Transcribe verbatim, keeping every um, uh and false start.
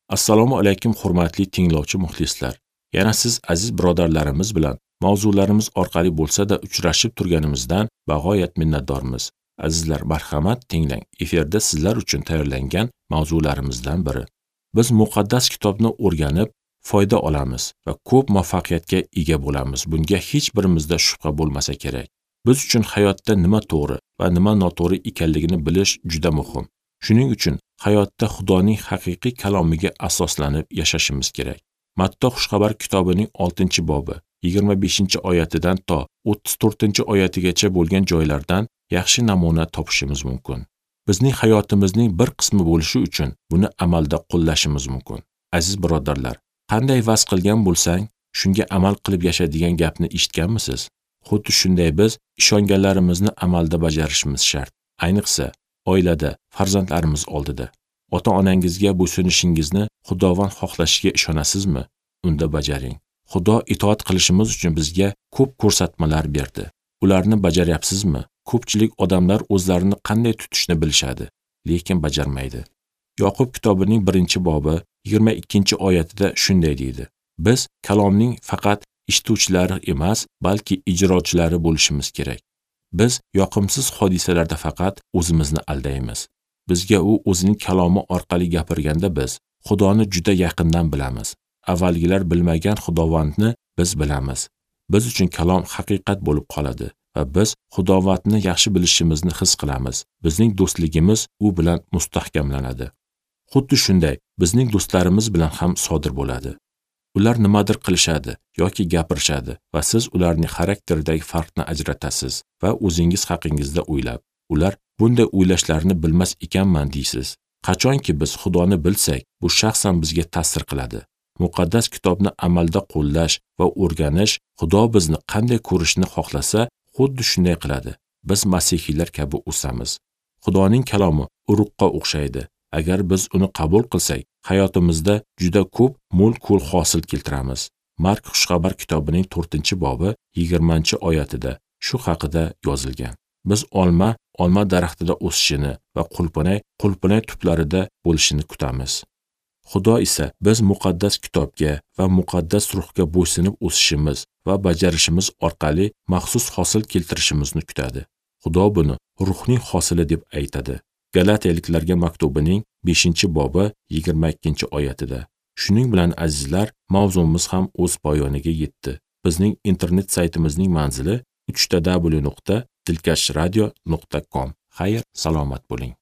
Assalomu alaykum hurmatli tinglovchi muxlislar. Yana siz aziz birodarlarimiz bilan mavzularimiz orqali bo'lsa-da uchrashib turganimizdan bag'oyat minnatdormiz. Azizlar, marhamat tinglang. Efirda sizlar uchun tayyorlangan mavzularimizdan biri. Biz muqaddas kitobni o'rganib, foyda olamiz va ko'p muvaffaqiyatga ega bo'lamiz. Bunga hech birimizda shubha bo'lmasa kerak. Biz uchun hayotda nima to'g'ri va nima noto'g'ri ekanligini bilish juda muhim. Shuning uchun hayotda Xudoning haqiqiy kalomiga asoslanib yashashimiz kerak. Matto Xushxabar kitobining oltinchi bobi yigirma beshinchi oyatidan to o'ttiz to'rtinchi oyatigacha bo'lgan joylardan yaxshi namuna topishimiz mumkin. Bizning hayotimizning bir qismi bo'lishi uchun buni amalda qo'llashimiz mumkin. Aziz birodarlar, qanday vaz qilgan bo'lsang, shunga amal qilib yasha degan gapni eshitganmisiz? Xuddi shunday biz ishonganlarimizni amalda bajarishimiz shart. Ayniqsa, oilada, farzandlarimiz oldida. Ota-onangizga bo'ysunishingizni Xudovand xohlashiga ishonasizmi? Unda bajaring. Xudo itoat qilishimiz uchun bizga ko'p ko'rsatmalar berdi. Ularni bajaryapsizmi? Ko'pchilik odamlar o'zlarini qanday tutishni bilishadi, lekin bajarmaydi. Yoqub kitobining birinchi bobi yigirma ikkinchi oyatida shunday deydi: Biz kalomning faqat eshituvchilari emas, balki ijrochilari bo'lishimiz kerak. Biz yoqimsiz hodisalarda faqat o'zimizni aldaymiz. Bizga u o'zining kalomi orqali gapirganda biz Xudoni juda yaqindan bilamiz. Avvalgilar bilmagan Xudovandni biz bilamiz. Biz uchun kalom haqiqat bo'lib qoladi va biz Xudovandni yaxshi bilishimizni his qilamiz. Bizning do'stligimiz u bilan mustahkamlanadi. Xuddi shunday bizning do'stlarimiz bilan ham sodir bo'ladi. Ular nimadir qilishadi yoki gapirishadi va siz ularning xarakteridagi farqni ajratasiz va o'zingiz haqingizda o'ylab, ular bunday o'ylashlarini bilmas ekanman deysiz. Qachonki biz Xudoni bilsak, bu shaxsan bizga ta'sir qiladi. Muqaddas kitobni amalda qo'llash va o'rganish Xudo bizni qanday ko'rishni xohlasa, xuddi shunday qiladi. Biz masihiylar kabi o'samiz. Xudoning kalomi urug'qa o'xshaydi. Agar biz uni qabul qilsak, hayotimizda juda ko'p mo'l-ko'l hosil keltiramiz. Mark Xushxabar kitobining to'rtinchi bobi yigirmanchi oyatida shu haqida yozilgan. Biz olma olma daraxtida o'sishini va qulpinay qulpinay tuplarida bo'lishini kutamiz. Xudo esa biz muqaddas kitobga va muqaddas ruhga bo'ysunib o'sishimiz va bajarishimiz orqali maxsus hosil keltirishimizni kutadi. Xudo buni ruhning hosili deb aytadi. Galatiyaliklarga maktubining beshinchi bobi yigirma ikkinchi oyatida. Shuning bilan azizlar, mavzumiz ham o'z poyoniga yetdi. Bizning internet saytimizning manzili uch ta w nuqta dilkash radio nuqta com. Xayr, salomat bo'ling.